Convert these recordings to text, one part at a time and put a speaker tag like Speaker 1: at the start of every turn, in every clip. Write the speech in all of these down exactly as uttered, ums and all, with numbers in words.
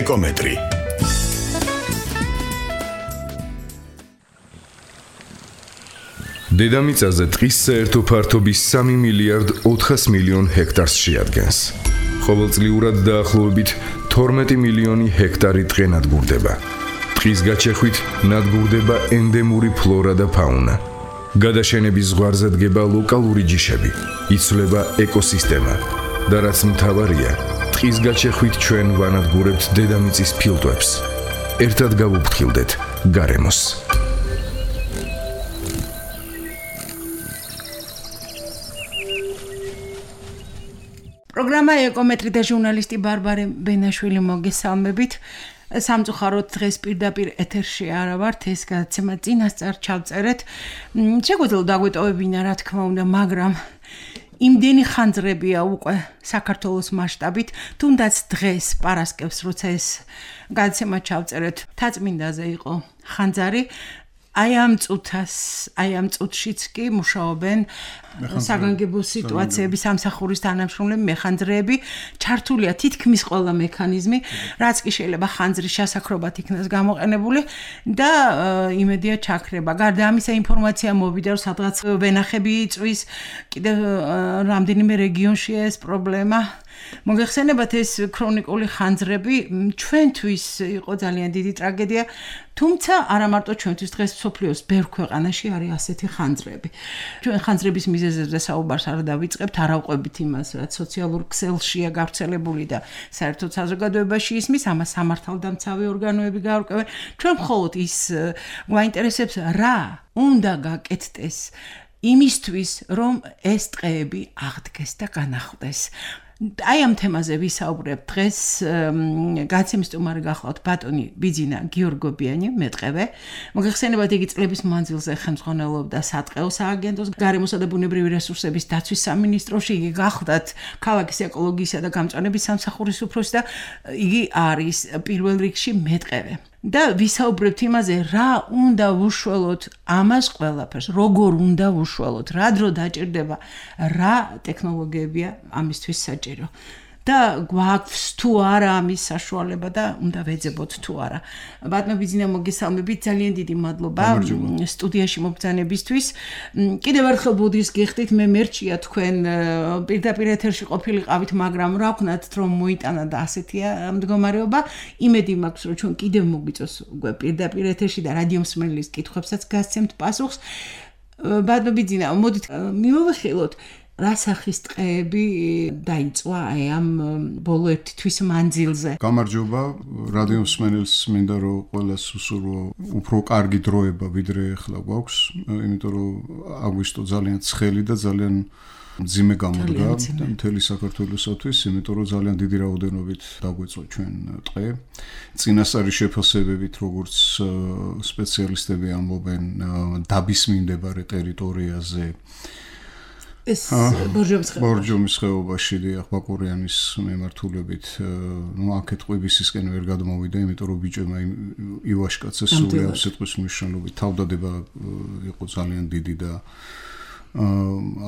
Speaker 1: ეკომეტრი. დედამიწაზე ტყის საერთო ფართობი სამი მილიარდ ოთხას მილიონ ჰექტარს შეადგენს. ყოველწლიურად დაახლოებით თორმეტი მილიონი ჰექტარი ტყე ნადგურდება. ტყის გაჩეხვით ნადგურდება ენდემური ფლორა და ფაუნა. გადაშენების ზღვარზე დგება ლოკალური ჯიშები, იცვლება ეკოსისტემა და რაც მთავარია, ტყის გაჩეხვით ჩვენ ვანადგურებთ დედამიწის ფილტვებს. ერთად გავუფრთხილდეთ გარემოს.
Speaker 2: პროგრამა ეკომეტრი და ჟურნალისტი ბარბარე ბენაშვილი მოგესალმებით. სამწუხაროდ დღეს პირდაპირ ეთერში არა ვართ, ეს გადაცემა წინასწარ ჩავწერეთ. შეგვიძლია დაგვეტოვებინა, რა თქმა უნდა, მაგრამ იმდენი ხანძრებია უკვე საქართველოს მასშტაბით, თუნდაც დღეს პარასკევს, როცა ეს გადაცემა ჩავწერეთ, თაწმინდაზე იყო ხანძარი. აი ამ წუთას, აი ამ წუთშიც კი მუშაობენ საგანგებო სიტუაციების სამსახურის თანამშრომლები, მეხანძრეები, ჩართულია თითქმის ყველა მექანიზმი, რაც კი შეიძლება ხანძრის შესაქმნელად იქნას გამოყენებული და იმედია ჩაქრება. გარდა ამისა, ინფორმაცია მოვიდა, რომ სადღაც ვენახები იწვის, კიდევ რამდენიმე რეგიონში ეს პრობლემა. მოგეხსენებათ, ეს ქრონიკული ხანძრები ჩვენთვის იყო ძალიან დიდი ტრაგედია, თუმცა არა მარტო ჩვენთვის, დღეს მსოფლიოს ბევრ ქვეყანაში არის ასეთი ხანძრები. ჩვენ ხანძრების მიზეზებზე საუბარს არ დავიწყებთ, არ ავყვებით იმას, რაც სოციალურ ქსელშია გავრცელებული და საერთოდ საზოგადოებაში ისმის, ამას სამართალდამცავი ორგანოები გაარკვევენ. ჩვენ მხოლოდ ის გვაინტერესებს, რა უნდა გაკეთდეს იმისთვის, რომ ეს ტყეები აღდგეს და განახლდეს. აი ამ თემაზე ვისაუბრებ დღეს. გადაცემის სტუმარი გახლავთ ბატონი ბიძინა გიორგობიანი, მეტყევე. მოგეხსენებათ, იგი წლების მანძილზე ხელმძღვანელობდა სატყეო სააგენტოს, გარემოსა და ბუნებრივი რესურსების დაცვის სამინისტროში. იგი გახლავთ ქალაქის ეკოლოგიისა და გამწვანების სამსახურის უფროსი და იგი არის პირველ რიგში მეტყევე. და ვისაუბრებთ იმაზე, რა უნდა ვუშველოთ ამას ყველაფერს, როგორ უნდა ვუშველოთ, რა დრო დაჭირდება, რა ტექნოლოგიებია ამისთვის საჭირო. და გვაქვს თუ არა ამის საშუალება და უნდა ვეძებოთ თუ არა. ბატონო ბიძინა, მოგესალმებით, ძალიან დიდი მადლობა სტუდიაში მობრძანებისთვის. კიდევ ერთხელ ბუდის გიხდით, მე მერჩია თქვენ პირდაპირ ეთერში ყოფილიყავით, მაგრამ რა ვქნათ, რომ მოიტანა და ასეთია მდგომარეობა. იმედი მაქვს, რომ ჩვენ კიდევ მოგვიწევს უკვე პირდაპირ ეთერში და რადიო მსმენელის კითხვებსაც გასცემთ პასუხს. ბატონო ბიძინა, მოდით მივახილოთ, რა სახის ტყეები დაიწვა აი ამ ბოლო ერთი თვის მანძილზე.
Speaker 3: გამარჯობა, რადიო მსმენელს მინდა რომ ყველას უსურვო უფრო კარგი დროება ვიდრე ახლა გვაქვს, იმიტომ რომ აგვისტო ძალიან ცხელი და ძალიან მძიმე გამოდგა მთელი საქართველოსთვის, იმიტომ რომ ძალიან დიდი რაოდენობით დაგვეწვა ჩვენ ტყე. წინასწარი შეფასებებით, როგორც სპეციალისტები ამბობენ, დაბის მიმდებარე ტერიტორიაზე ეს ბორჯომის ხეობაში დიახ, ბაკურიანის მიმართულებით, ნუ აქეთ ყვიბისისკენ ვერ გადმოვიდა, იმიტომ რომ ბიჭებმა ივაშკაცეს სული ამ სიტყვის მნიშვნელობით. თავდადება იყო ძალიან დიდი და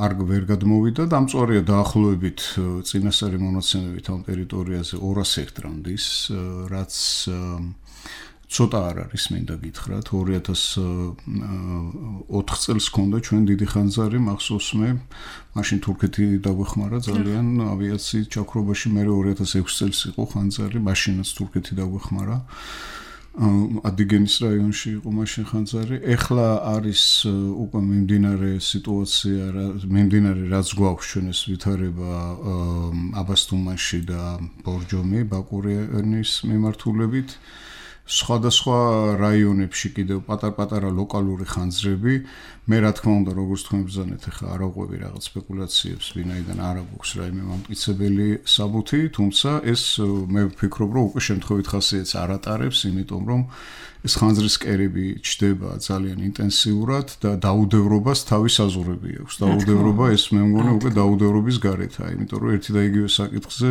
Speaker 3: არ ვერ გადმოვიდა და ამწვარია დაახლოებით წინასწარი მონაცემებით ამ ტერიტორიაზე ორას ჰექტრამდის, რაც ცოტა არ არის, მინდა გითხრათ, ორი ათას ოთხ წელს ჰქონდა ჩვენ დიდი ხანძარი, მახსოვს მე, მაშინ თურქეთი დაგვეხმარა ძალიან ავიაციის ჩაქრობაში, მე ორი ათას ექვსი წელს იყო ხანძარი, მაშინაც თურქეთი დაგვეხმარა. ადიგენის რაიონში იყო მაშინ ხანძარი. ეხლა არის უკვე მიმდინარე სიტუაცია, მიმდინარე რაც გვაქვს ჩვენ ეს ვითარება აბასთუმანში და ბორჯომი, ბაკურიანის მიმართულებით. სხვადასხვა რაიონებში კიდევ პატარ-პატარა ლოკალური ხანძრები. მე რა თქმა უნდა, როგორც თქვენ ბრძანეთ, ახლა არ აღვევი რაღაც სპეკულაციებს, ვინაიდან არ აქვს რაიმე მამტკიცებელი საბუთი, თუმცა ეს მე ვფიქრობ, რომ უკვე შემთხვევით ხასიათს არ ატარებს, იმიტომ რომ ეს ხანძრის კერები ჩდება ძალიან ინტენსიურად და დაუდევრობას თავის აზრები აქვს. დაუდევრობა ეს მე მგონი უკვე დაუდევრობის გარეთაა, იმიტომ რომ ერთი და იგივე საკითხზე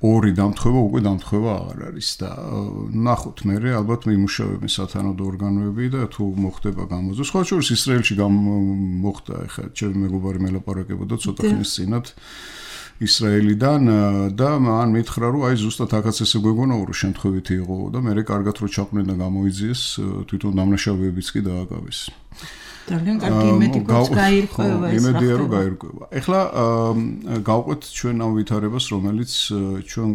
Speaker 3: ორი დამთხევა უკვე დამთხევა აღარ არის და ნახოთ მე ალბათ მიმუშავებენ სათანადო ორგანოები და თუ მოხდება გამოზრდა. სხვა შორის ისრაელში მოხდა, ეხლა ჩემი მეგობარი მელაპარაკებოდა ცოტა ხნის წინათ ისრაელიდან და მან მითხრა რომ აი ზუსტად აქაც ესე გვეგონა რომ შემთხვევითი იყო და მე კარგად რო ჩაყვნენ და გამოიძიეს თვითონ დამნაშავეებიც კი დააკავეს.
Speaker 2: ძალიან კარგი იმედიც გაირკვევა ეს.
Speaker 3: იმედია რომ გაირკვევა. ეხლა გავყვეთ ჩვენ ამ ვითარებას, რომელიც ჩვენ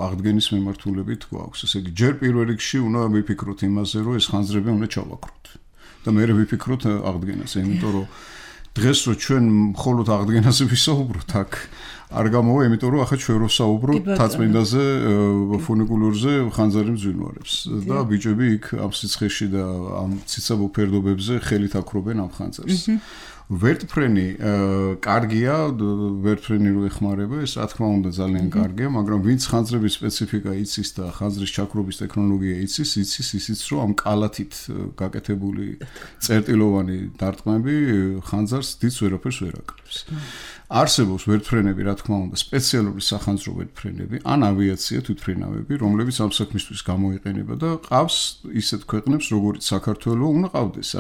Speaker 3: აღდგენის მიმართულებით გვაქვს. ესე იგი, ჯერ პირველ რიგში უნდა ვიფიქროთ იმაზე, რომ ეს ხანძრები უნდა ჩავაქროთ. და მე ვიფიქროთ აღდგენაზე, იმიტომ რომ დღეს რო ჩვენ მხოლოდ აღდგენაზე ვისაუბროთ აქ არ გამოვა, იმიტომ რომ ახლა ჩვენ რო საუბრობთ თაწმინდაზე, ფუნიკულურზე ხანძარი მძვინვარებს და ბიჭები იქ ამ სიცხეში და ამ ციცაბო ფერდობებზე ხელით აკრობენ ამ ხანძარს. ვერტფრენი კარგია, ვერტფრენი რო ეხმარება, ეს რა თქმა უნდა ძალიან კარგია, მაგრამ ვინც ხანძრების სპეციფიკა იცის და ხანძრის ჩაქრობის ტექნოლოგია იცის, იცის ისიც რომ ამ კალათით გაკეთებული წერტილოვანი დარტყმები ხანძარს დიდ ვერაფერს ვერ აკრებს. არსებობს ვერტფრენები, რა თქმა უნდა, სპეციალური სახანძრო ვერტფრენები, ან ავიაცია თვითმფრინავები, რომლებიც ამ საქმისთვის გამოიყენება და ყავს ისეთ ქვეყნებს, როგორც საქართველო, უნდა ყავდეს.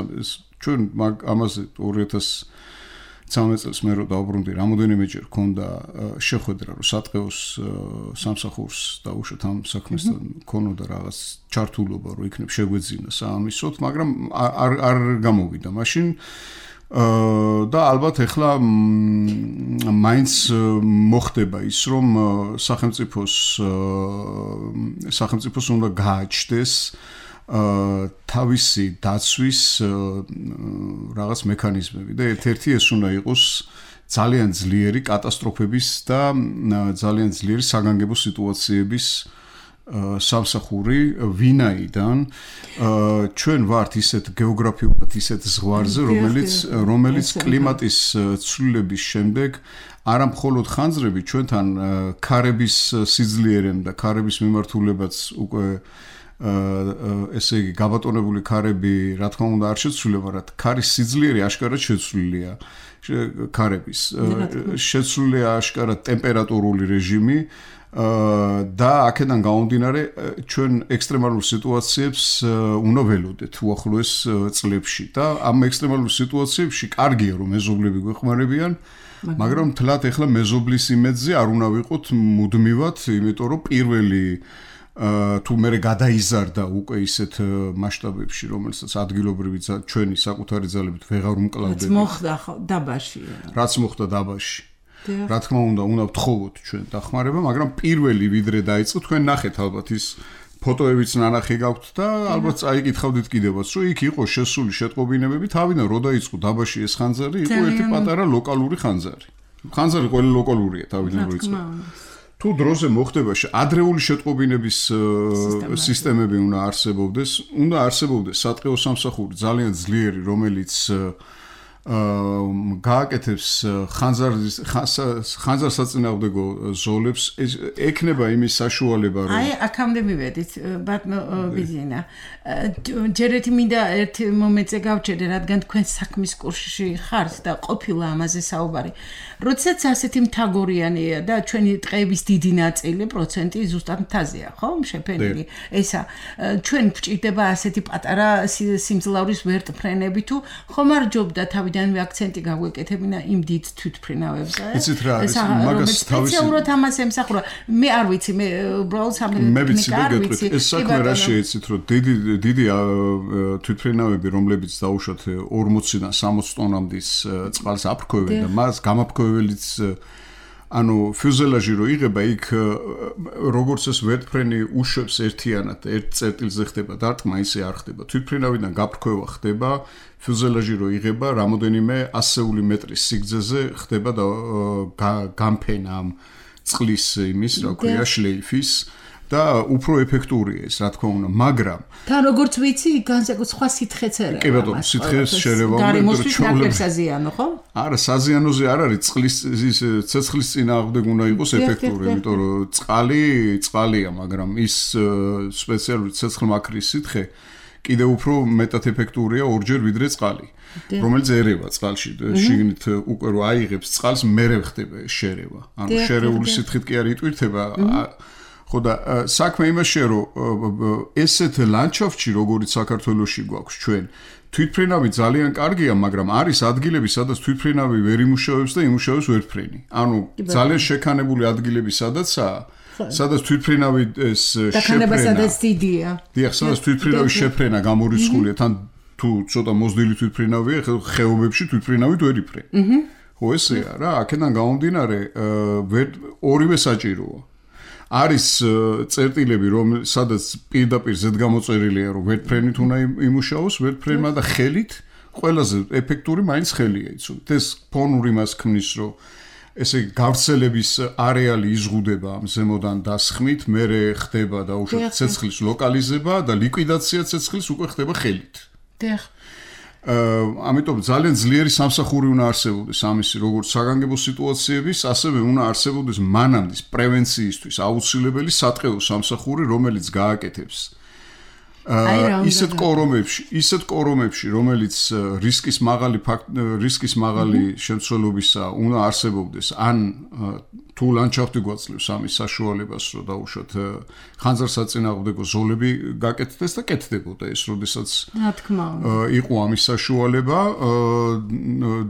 Speaker 3: ჩვენ ამაზე ორი ათას ცხრამეტ წელს მე რო დავბრუნდი, რამოდენიმეჯერ მქონდა შეხვედრა, რომ სატყეოს სამსახურს დაუშვათ ამ საქმესთან, მქონოდა რაღაც ჩართულობა, რომ იქნებ შეგვეძინა საამისოდ, მაგრამ არ არ გამოვიდა მაშინ. და ალბათ ეხლა მაინც მოხდება ის, რომ სახელმწიფოს სახელმწიფოს უნდა გააჩნდეს თავისი დაცვის რაღაც მექანიზმები და ერთ-ერთი ეს უნდა იყოს ძალიან ძლიერი კატასტროფების და ძალიან ძლიერი საგანგებო სიტუაციების სამსახური, ვინაიდან ჩვენ ვართ ისეთ გეოგრაფიულად ისეთ ზღვარზე, რომელიც რომელიც კლიმატის ცვლილების შემდეგ არა მხოლოდ ხანძრები ჩვენთან ქარების სიძლიერემ და ქარების მიმართულებაც უკვე ესე იგი გაბატონებული ქარები რა თქმა უნდა არ შეცვლილება, რა ქარის სიძლიერე აშკარად შეცვლილია ქარების შეცვლილია აშკარად ტემპერატურული რეჟიმი და აქედან გამომდინარე ჩვენ ექსტრემალურ სიტუაციებს უნდა ველოდეთ უახლოეს წლებში და ამ ექსტრემალურ სიტუაციებში კარგია რომ მეზობლები გვეხმარებიან, მაგრამ თლათ ეხლა მეზობლის იმედზე არ უნდა ვიყოთ მუდმივად, იმიტომ რომ პირველი თუ მე გადაიზარდა უკვე ისეთ მასშტაბებში, რომელსაც ადგილობრივი ჩვენი საკუთარი ძალებით ვეღარ უმკლავდები.
Speaker 2: რაც მოხდა დაბაში.
Speaker 3: რაც მოხდა დაბაში. რა თქმა უნდა, უნდა ვთხოვოთ ჩვენ დახმარება, მაგრამ პირველი ვიდრე დაიწყო, თქვენ ნახეთ ალბათ ის ფოტოებიც ნანახი გაქვთ და ალბათ წაიკითხავდით კიდევაც, რომ იქ იყო შესული შეტყობინებები, თავიდან რო დაიწყო დაბაში ეს ხანძარი, იყო ერთი პატარა ლოკალური ხანძარი. ხანძარი ყველა ლოკალურია თავიდან რო იწყო. თუ დროზე მოხდება ადრეული შეტყობინების სისტემები უნდა არსებობდეს, უნდა არსებობდეს სატყეო სამსახური ძალიან ძლიერი, რომელიც გააკეთებს ხანძარის ხანძარსაწინააღმდეგო ზოლებს, ექნება იმის საშუალება, რომ
Speaker 2: აი აქამდე მივედით, ბატონო ბიზინა. ჯერეთი მინდა ერთ მომენტზე გავჩერდე, რადგან თქვენ საქმის კურსში ხართ და ყოფილა ამაზე საუბარი. როდესაც ასეთი მთაგორიანია და ჩვენი ტყეების დიდი ნაწილი პროცენტი ზუსტად მთაზეა, ხო? შეფენილი. ესა ჩვენ გვჭირდება ასეთი პატარა სიმძლავრის ვერტფრენები თუ ხომ არ ჯობდა თავიდანვე აქცენტი გაგვეკეთებინა იმ დიდ თვითმფრინავებზე?
Speaker 3: იცით რა არის, მაგას თავისი
Speaker 2: სპეციალურად ამას ემსახურა. მე არ ვიცი, მე უბრალოდ
Speaker 3: სამეცნიერო არ ვიცი. ეს საქმე რა შეიცით, რომ დიდი დიდი თვითმფრინავები, რომლებიც დაუშვათ ორმოციდან სამოცი ტონამდის წყალს აფრქვევენ და მას გამაფრქვეველიც ანუ ფიუზელაჟი რო იღება, იქ როგორც ეს ვერტფრენი უშვებს ერთიანად, ერთ წერტილზე ხდება დარტყმა, ისე არ ხდება. თვითმფრინავიდან გაფრქვევა ხდება, ფიუზელაჟი რო იღება, რამოდენიმე ასეული მეტრის სიგრძეზე ხდება და გამფენა ამ წყლის იმის, რა ქვია, შლეიფის და უფრო ეფექტურია ეს, რა თქმა უნდა, მაგრამ
Speaker 2: თან როგორც ვიცი, განსაკუთრებით სხვა სითხეც ერევა.
Speaker 3: კი ბატონო, სითხეს შერევა
Speaker 2: უნდა ჩვეულებრივ საზიანო, ხო?
Speaker 3: არა, საზიანოზე არ არის, წყლის ის ცეცხლის წინააღმდეგ უნდა იყოს ეფექტური, იმიტომ რომ წყალი, წყალია, მაგრამ ის სპეციალური ცეცხლმაქრის სითხე კიდევ უფრო მეტად ეფექტურია ორჯერ ვიდრე წყალი, რომელიც ერევა წყალში, შიგნით უკვე რო აიღებს წყალს, მერე ხდება შერევა. ანუ შერეული სითხით კი არ იტვირთება, ხო და საქმე იმაშია რომ ესეთ ლანდშაფტში როგორც საქართველოში გვაქვს ჩვენ თვითფრენავი ძალიან კარგია, მაგრამ არის ადგილები, სადაც თვითფრენავი ვერ იმუშავებს და იმუშავებს ვერტფრენი. ანუ ძალიან შექანებული ადგილები სადაცაა, სადაც თვითფრენავი ეს
Speaker 2: შეფრენა. სადაც დიდია.
Speaker 3: დიახ, სადაც თვითფრენავის შეფრენა გამორიცხულია, თან თუ ცოტა მოზრდილი თვითფრენავია, ხეობებში თვითფრენავით ვერ იფრენ. აჰა. ხო ესეა რა, აქედან გამომდინარე, ორივე საჭიროა. არის წერტილები, რომ სადაც პირდაპირ ზედგამოწერილია, რომ ვერტფრენით უნდა იმუშაოს, ვერტფრენმა და ხელით ყველაზე ეფექტური მაინც ხელია იცოდეთ. ეს ფონური მას ქმნის, რომ ესე გავრცელების არეალი იზღუდება ამ ზემოდან დასხმით, მერე ხდება და უშუალოდ ცეცხლის ლოკალიზება და ლიკვიდაცია ცეცხლის უკვე ხდება ხელით.
Speaker 2: დიახ.
Speaker 3: ამიტომ ძალიან ძლიერი სამსახური უნდა არსებობდეს ამისი როგორც საგანგებო სიტუაციების, ასევე უნდა არსებობდეს მანამდის პრევენციისთვის აუცილებელი სატყეო სამსახური, რომელიც გააკეთებს ისეთ კორომებში, ისეთ კორომებში, რომელიც რისკის მაღალი რისკის მაღალი შემცველობისა უნდა არსებობდეს, ან თუ ლანდშაფტი გვაძლევს ამის საშუალებას, რომ დაუშვათ ხანძარსაწინააღმდეგო ზოლები გაკეთდეს და კეთდებოდა ეს, როდესაც
Speaker 2: რა თქმა უნდა
Speaker 3: იყო ამის საშუალება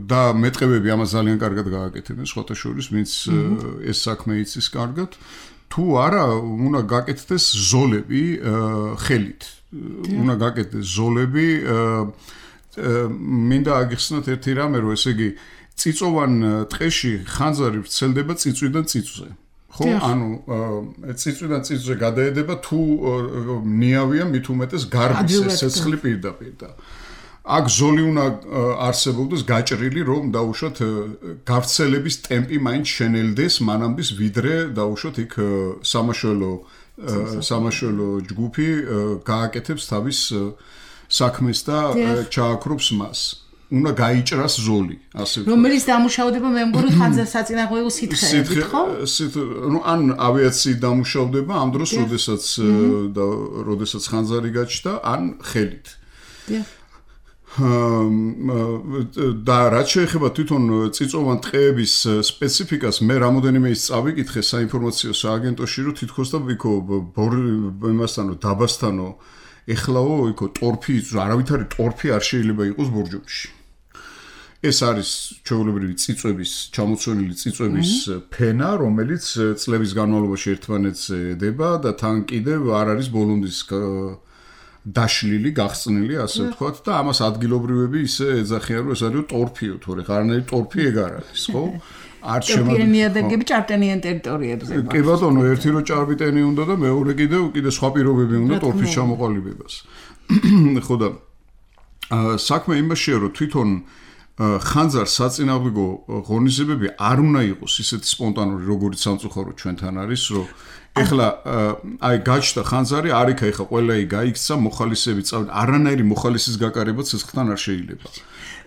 Speaker 3: და მეტყევები ამას ძალიან კარგად გააკეთებენ, სხვათა შორის, ვინც ეს საქმე იცის კარგად, თუ არა უნდა გაკეთდეს ზოლები ხელით. უნდა გაკეთდეს ზოლები, მინდა აგიხსნათ ერთი რამე, რომ ესე იგი წიწოვან ტყეში ხანძარი ვრცელდება წიწვიდან წიწვზე. ხო, ანუ წიწვიდან წიწვზე გადაედება თუ ნიავია მით უმეტეს გარბის ცეცხლი პირდაპირ და აქ ზოლი უნდა არსებობდეს გაჭრილი, რომ დაუშვათ გავრცელების ტემპი მაინც შენელდეს მანამდის ვიდრე დაუშვათ იქ სამაშველო სამაშველო ჯგუფი გააკეთებს თავის საქმეს და ჩააქრობს მას. უნდა გაიჭრას ზოლი, ასე ვთქვათ.
Speaker 2: რომელიც დამუშავდება მე მგონი ხანძარსაწინააღმდეგო სითხეებით, ხო?
Speaker 3: ნუ ან ავიაციით დამუშავდება ამ დროს, როდესაც და როდესაც ხანძარი გაჩნდა, ან ხელით. და რაც შეეხება თვითონ წიწოვან ტყეების სპეციფიკას, მე რამოდენიმე ის წავიკითხე საინფორმაციო სააგენტოში, რომ თითქოს და იქო იმასთანო დაბასთანო ეხლაო იქო ტორფი, არავითარი ტორფი არ შეიძლება იყოს ბორჯომში. ეს არის ჩვეულებრივი წიწვების, ჩამოცვენილი წიწვების ფენა, რომელიც წლების განმავლობაში ერთმანეთზე ედება და თან კიდევ არ არის ბოლონდის დაშლილი, გახსნილი, ასე ვთქვათ და ამას ადგილობრივები ისე ეძახიან, რომ ეს არის ტორფიო, თორე ხარნაირი ტორფი ეგ არ არის, ხო? არ შემოგვიდგება
Speaker 2: ნიადაგები ჭარბტენიან ტერიტორიებზე.
Speaker 3: კი ბატონო, ერთი რო ჭარბტენი უნდა და მეორე კიდევ კიდე სხვა პირობები უნდა ტორფის ჩამოყალიბებას. ხო და საქმე იმაშია, რომ თვითონ ხანძარ საწინააღმდეგო ღონისძიებები არ უნდა იყოს ისეთი სპონტანური, როგორც სამწუხარო ჩვენთან არის, რომ ეხლა აი გაჩნდა ხანძარი, არ იქა ეხლა ყველა ის გაიქცა, მოხალისეები წავიდა, არანაირი მოხალისის გაკარება ცეცხლთან არ შეიძლება.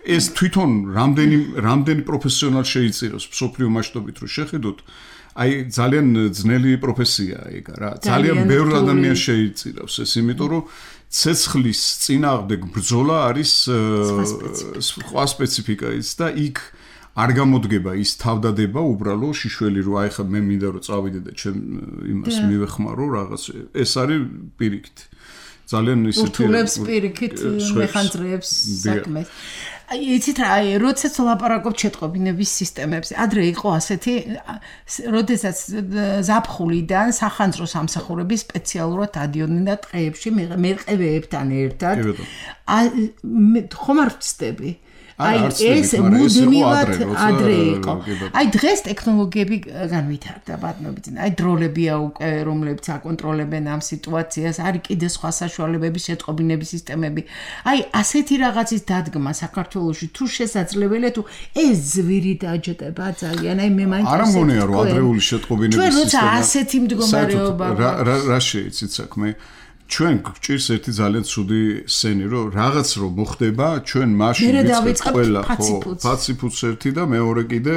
Speaker 3: ეს თვითონ რამდენი რამდენი პროფესიონალ შეიწიროს მსოფლიო მასშტაბით რო შეხედოთ, აი ძალიან ძნელი პროფესიაა ეგ რა. ძალიან ბევრ ადამიანს შეიწირავს ეს, იმიტომ რომ ცეცხლის წინააღმდეგ ბრძოლა არის სხვა სპეციფიკაიც და იქ არ გამოდგება ის თავდადება უბრალო შიშველი რო აი ხა მე მინდა რომ წავიდე და ჩემ იმას მივეხმარო რაღაც ეს არის პირიქით ძალიან ისეთი
Speaker 2: ურთულებს პირიქით მეხანძრეებს საქმეს იცით რა აი როდესაც ლაპარაკობ ჩეტყობინების სისტემებზე ადრე იყო ასეთი როდესაც ზაფხულიდან სახანძრო სამსახურები სპეციალურად ადიოდნენ და ტყეებში მერყევეებთან ერთად ხომ არ ვწდები აი ეს მუდმივად ადრე იყო. აი დღეს ტექნოლოგიები განვითარდა ბატონობიძე. აი დროლებია უკვე რომლებიც აკონტროლებენ ამ სიტუაციას, არის კიდე სხვა საშუალებები, შეტყობინების სისტემები. აი ასეთი რაღაცის დადგმა საქართველოში თუ შესაძლებელია თუ ეს ზვირი დაჯდება ძალიან. აი მე მაინც
Speaker 3: არ მგონია რომ ადრეული შეტყობინების სისტემა.
Speaker 2: ჩვენ როცა ასეთი მდგომარეობა
Speaker 3: რა რა შეიცით საქმე? ჩვენ გვჭირს ერთი ძალიან ცუდი სცენი, რომ რაღაც რომ მოხდება, ჩვენ მაშინ ვიწყებთ ყველა ხო, ფაციფუც ერთი და მეორე კიდე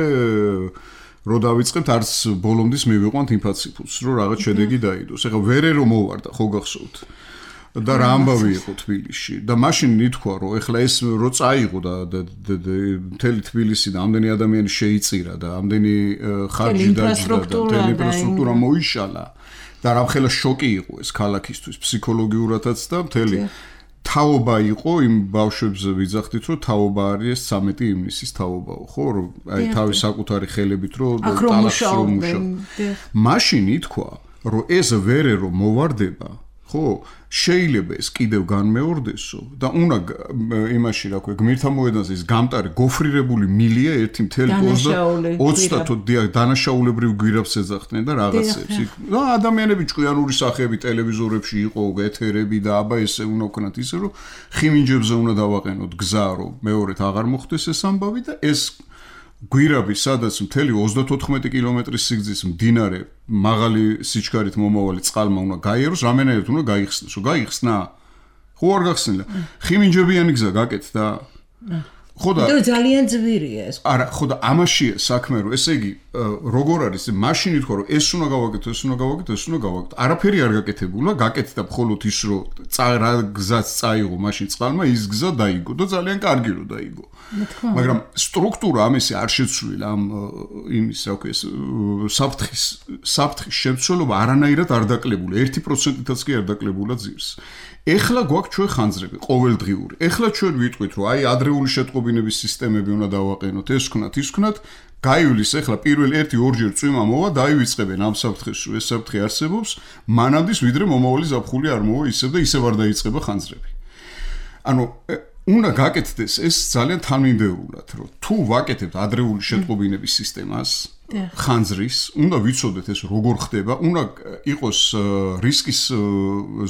Speaker 3: რო დავიწყებთ არც ბოლომდის მივიყვანთ იმ ფაციფუცს, რომ რაღაც შედეგი დაიდოს. ეხლა ვერე რომ მოვარდა, ხო გახსოვთ? და რა ამბავი იყო თბილისში და მაშინ ითქვა, რომ ეხლა ეს რო წაიღო და მთელი თბილისი და ამდენი ადამიანი შეიწირა და ამდენი ხარჯი დაჯდა და ინფრასტრუქტურა მოიშალა. და რამხელა შოკი იყო ეს ქალაქისთვის ფსიქოლოგიურადაც და მთელი თაობა იყო იმ ბავშვებზე ვიძახდით რომ თაობა არის ცამეტი ივნისის თაობაო ხო რომ აი თავის საკუთარი ხელებით რომ ტალახს რომ მუშაობ მაშინ ითქვა რომ ეს ვერე რომ მოვარდება ხო შეიძლება ეს კიდევ განმეორდესო და უნდა იმაში რა ქვია გმირთა მოედანზე ის გამტარი გოფრირებული მილია ერთი მთელი ოცდაათი დანაშაულებრივ გვირაბს ეძახდნენ და რაღაცებს და ადამიანები ჭკვიანური სახეები ტელევიზორებში იყო ეთერები და აბა ესე უნდა ვქნათ ისე რომ ხიმინჯებზე უნდა დავაყენოთ გზა რომ მეორედ აღარ მოხდეს ეს ამბავი და ეს გვირაბი სადაც მთელი ოცდათოთხმეტი კილომეტრის სიგრძის მდინარე მაღალი სიჩქარით მომავალი წყალმა უნდა გაიაროს რამენაირად უნდა გაიხსნას რომ გაიხსნა ხო არ გახსნილა ხიმინჯებიანი გზა გაკეთდა ხო და
Speaker 2: ძალიან ძვირია ეს
Speaker 3: არა ხო და ამაშია საქმე რომ ესე იგი როგორ არის მაშინ ითქვა რომ ეს უნდა გავაკეთო ეს უნდა გავაკეთო ეს უნდა გავაკეთო არაფერი არ გაკეთებულა გაკეთდა მხოლოდ ის რომ რა გზაც წაიღო მაშინ წყალმა ის გზა დაიგო და ძალიან კარგი რომ დაიგო მაგრამ სტრუქტურა ამისი არ შეცვლილა ამ იმის რა ქვია საფრთხის საფრთხის შემცველობა არანაირად არ დაკლებულა ერთი პროცენტითაც კი არ დაკლებულა ძირს ეხლა გვაქვს ჩვენ ხანძრები ყოველდღიური ეხლა ჩვენ ვიტყვით რომ აი ადრეული შეტყობინების სისტემები უნდა დავაყენოთ ეს ვქნათ ის ვქნათ გაივლის ეხლა პირველ ერთი ორჯერ წვიმა მოვა დაივიწყებენ ამ საფრთხეს რომ ეს საფრთხე არსებობს მანამდე ვიდრე მომავალი ზაფხული არ მოვა ისევ და ისევ არ დაიწყება ხანძრები ანუ უნდა გაკეთდეს ეს ძალიან თანმიმდევრულად რომ თუ ვაკეთებთ ადრეული შეტყობინების სისტემას ხანძრის უნდა ვიცოდეთ ეს როგორ ხდება უნდა იყოს რისკის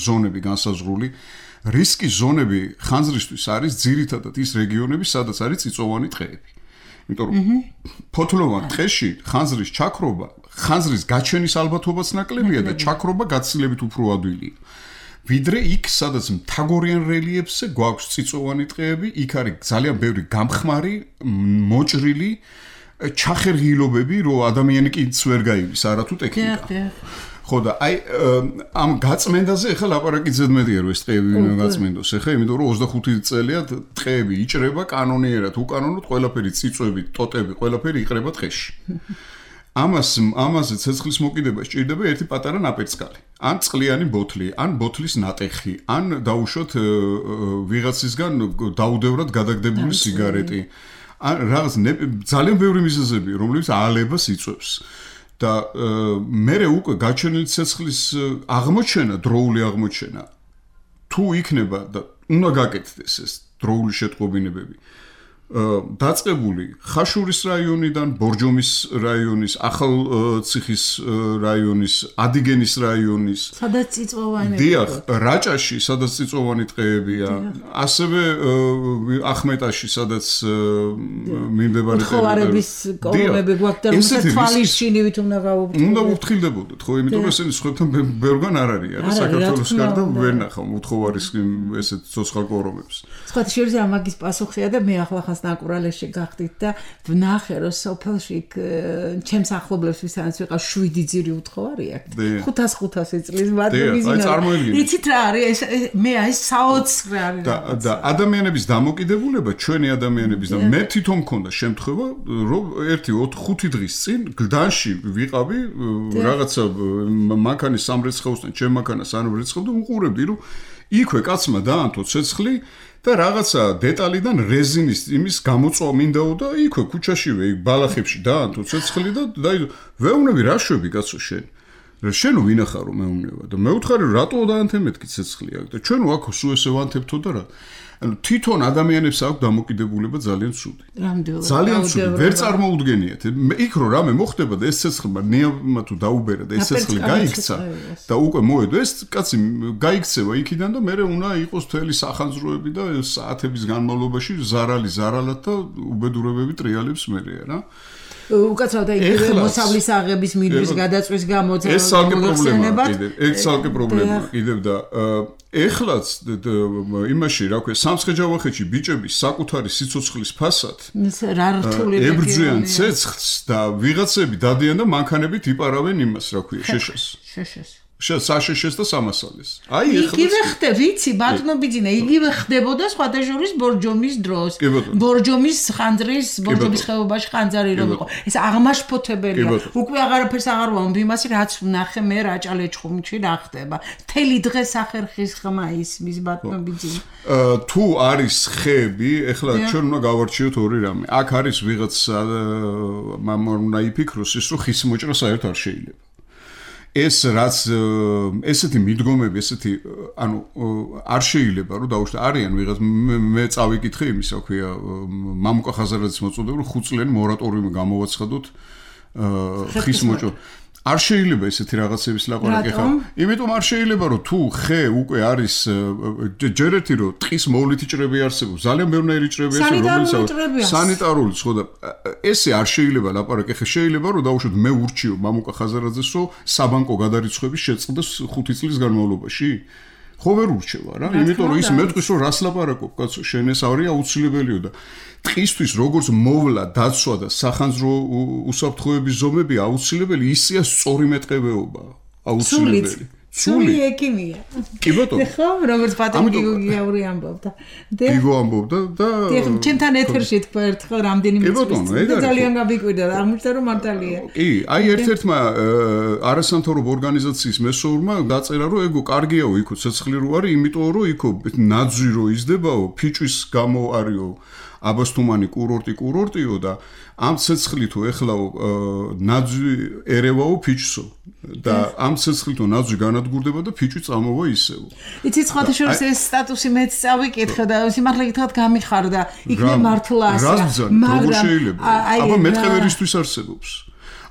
Speaker 3: ზონები განსაზღვრული რისკის ზონები ხანძრისთვის არის ძირითადად ის რეგიონები სადაც არის წიწვოვანი ტყეები იმიტომ რომ ფოთლოვან ტყეში ხანძრის ჩაქრობა ხანძრის გაჩენის ალბათობაც ნაკლებია და ჩაქრობა გაცილებით უფრო ადვილია ვიდრე იქ სადაც მთაგორიან რელიეფზე გვაქვს წიწვოვანი ტყეები იქ არის ძალიან ბევრი გამხმარი მოჭრილი ჩახერგილობები რომ ადამიანი კიდს ვერ გაივლის არათუ ტექნიკა ხო და აი ამ გაწმენდაზე ახლა ლაპარაკი ზედმეტია რომ ეს ტყეები უნდა გაწმენდოს ახლა იმიტომ რომ ოცდახუთი წელია ტყეები იჭრება კანონიერად უკანონოდ ყველაფერი წიწვები ტოტები ყველაფერი იყრება ტყეში ამას ამაზე ცეცხლის მოკიდება სჭირდება ერთი პატარა ნაპერწკალი ან წყლიანი ბოთლი ან ბოთლის ნატეხი ან დაუშვათ ვიღაცისგან დაუდევრად გადაგდებული სიგარეტი ან რაღაც ძალიან ბევრი მიზეზები რომლებიც ალებას იწვევს და მერე უკვე გაჩენილი ცეცხლის აღმოჩენა დროული აღმოჩენა თუ იქნება და უნდა გაკეთდეს ეს დროული შეტყობინებები დაწყებული ხაშურის რაიონიდან, ბორჯომის რაიონის, ახალციხის რაიონის, ადიგენის რაიონის,
Speaker 2: სადაც წიწვოვანი
Speaker 3: დიახ, რაჭაში, სადაც წიწვოვანი ტყეებია, ასევე ახმეტაში, სადაც მიმდებარე
Speaker 2: ტერიტორიები. კოლონები გვაქვს და რომელსაც თვალის შინივით უნდა გავუფრთხილდეთ.
Speaker 3: უნდა ვუფრთხილდებოდეთ, ხო, იმიტომ რომ ესენი სხვებთან ბევრგან არ არის, არა საქართველოს გარდა ვერ ნახავ უთხოვარის ესეთ ცოცხალ კორომებს.
Speaker 2: სხვა შეიძლება მაგის პასუხია და მე ახლა ნაკურალეში გახდით და ვნახე რომ სოფელში ჩემს ახლობლებს ვისაც ვიყავ შვიდი ძირი უთხოვარი აქვს ხუთას ხუთასი წლის მარტივიზინა იცით რა არის მე აი საოცრე არის
Speaker 3: და ადამიანების დამოკიდებულება ჩვენი ადამიანების და მე თვითონ მქონდა შემთხვევა რომ ერთი ხუთი დღის წინ გლდანში ვიყავი რაღაცა მანქანის სამრეცხაოსთან ჩემ მანქანას არ ვერცხავდი უყურებდი რომ იქვე კაცმა დაანთო ცეცხლი და რაღაცა დეტალიდან რეზინის იმის გამოწვა მინდაო და იქვე ქუჩაშივე ბალახებში დაანთო ცეცხლი და ვეუბნები რა შვები კაცო შენ შენ ვინახარო მეუბნება და მე ვუთხარი რატო დაანთე მეთქი ცეცხლი აქ და ჩვენ აქ სულ ესე ვანთებთო და რა ანუ თვითონ ადამიანებს აქვს დამოკიდებულება ძალიან ცუდი ძალიან ცუდი ვერ წარმოუდგენიათ იქ რო რამე მოხდება და ეს ცეცხლმა ნიავმა თუ დაუბერა და ეს ცეცხლი გაიქცა და უკვე მოედო ეს კაცი გაიქცევა იქიდან და მე უნდა იყოს მთელი სახანძროები და საათების განმავლობაში ზარალი ზარალად და უბედურებები ტრიალებს მერეა რა
Speaker 2: უკაცრავ და იგივე მოსავლის აღების მინდვრის გადაწვის გამო
Speaker 3: ეს ცალკე პრობლემაა კიდევ ეს ცალკე პრობლემაა კიდევ და ეხლაც იმაში რა ქვია სამცხე-ჯავახეთში ბიჭები საკუთარი სიცოცხლის ფასად
Speaker 2: რა რთული
Speaker 3: ებრძვიან ცეცხლს და ვიღაცები დადიან და მანქანებით იპარავენ იმას რა ქვია შეშას
Speaker 2: შეშას
Speaker 3: საშეშეს და სამასალეს. აი
Speaker 2: ეხლა იგივე ხდება, ვიცი, ბატონო ბიძინა, იგივე ხდებოდა სხვადასხვა ბორჯომის დროს. ბორჯომის ხანძრის, ბორჯომის ხეობაში ხანძარი რომ იყო. ეს აღმაშფოთებელია. უკვე აღარაფერს აღარ ვამბობ იმასი, რაც ვნახე მე რაჭალეჩხუმში რა ხდება. თელი დღე სახერხის ხმა ისმის ბატონო ბიძინა.
Speaker 3: თუ არის ხეები, ეხლა ჩვენ უნდა გავარჩიოთ ორი რამე. აქ არის ვიღაც მამარ უნდა იფიქროს ის, რომ ხის მოჭრა საერთოდ არ შეიძლება. ეს რაც ესეთი მიდგომები, ესეთი ანუ არ შეიძლება რომ დაუშვათ არიან ვიღაც მე წავიკითხე იმის, რა ქვია, მამუკა ხაზარაძის მოწოდება, რომ ხუთწლიანი მორატორიუმი გამოვაცხადოთ ხის მოჭრა. არ შეიძლება ესეთი რაღაცების ლაპარაკი ხა. იმიტომ არ შეიძლება რომ თუ ხე უკვე არის ჯერ ერთი რომ ტყის მოვლითი ჭრები არსებობს, ძალიან ბევრი ჭრები არსებობს, რომელიც სანიტარული ხო და ესე არ შეიძლება ლაპარაკი ხა. შეიძლება რომ დაუშვათ მე ურჩიო მამუკა ხაზარაძეს რომ საბანკო გადარიცხვების შეწყდეს ხუთი წლის განმავლობაში. ხო ვერ ურჩევა რა, იმიტომ რომ ის მეტყვის რომ რას ლაპარაკობ, კაცო, შენ ეს არის აუცილებელიო და ტყისთვის როგორც მოვლა, დაცვა და სახანძრო უსაფრთხოების ზომები აუცილებელი, ისეა სწორი მეტყევეობა, აუცილებელი.
Speaker 2: სული ექიმია.
Speaker 3: კი ბატონო.
Speaker 2: ხო, როგორც ბატონი გიორგი ამბობდა.
Speaker 3: გიგო ამბობდა და
Speaker 2: ჩემთან ეთერში თქვა ერთხელ რამდენიმე წუთი და ძალიან გაბიკვირდა, აღმოჩნდა რომ მართალია.
Speaker 3: კი, აი ერთ-ერთმა არასამთავრობო ორგანიზაციის მესოურმა დაწერა რომ ეგო კარგიაო იქო ცეცხლი რო არის, იმიტომ რომ იქო ნაძვი რო იზდებაო, ფიჭვის გამო არისო აბასთუმანი კურორტი კურორტიო და ამ ცეცხლითო ეხლაო ნაძვი ერევაო ფიჭსო და ამ ცეცხლითო ნაძვი განადგურდება და ფიჭვი წამოვა ისევ.
Speaker 2: იცი სხვათა შორის ეს სტატუსი მეც წავიკითხე და სიმართლე გითხრათ გამიხარდა. იქნებ მართლა
Speaker 3: ასე. მაგრამ აბა მეტყევერისთვის არსებობს.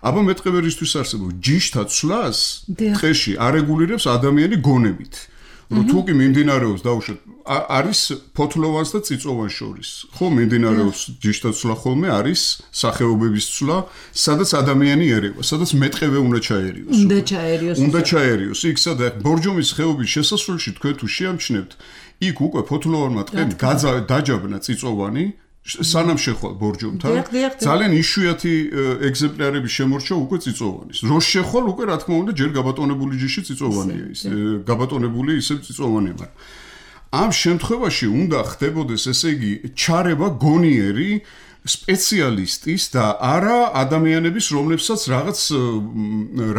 Speaker 3: აბა მეტყევერისთვის არსებობს ჯიშთა ცვლას დღეში არეგულირებს ადამიანი გონებით. რომ თუ კი მიმდინარეობს დაუშვათ არის ფოთლოვანს და წიწოვანს შორის. ხო მიმდინარეობს ჯიშთა ცვლა ხოლმე არის სახეობების ცვლა, სადაც ადამიანი ერევა, სადაც მეტყევე უნდა ჩაერიოს.
Speaker 2: უნდა ჩაერიოს.
Speaker 3: უნდა ჩაერიოს. იქ სადაც ბორჯომის ხეობის შესასვლელში თქვენ თუ შეამჩნევთ, იქ უკვე ფოთლოვანმა ტყემ დაჯაბნა წიწოვანი სანამ შეხვალ ბორჯომთან ძალიან იშვიათი ეგზემპლარები შემორჩა უკვე წიწოვანის. რო შეხვალ უკვე რა თქმა უნდა ჯერ გაბატონებული ჯიში წიწოვანია ის. გაბატონებული ისევ წიწოვანია, მაგრამ ამ შემთხვევაში უნდა ხდებოდეს ესე იგი ჩარევა გონიერი სპეციალისტის და არა ადამიანების, რომლებსაც რაღაც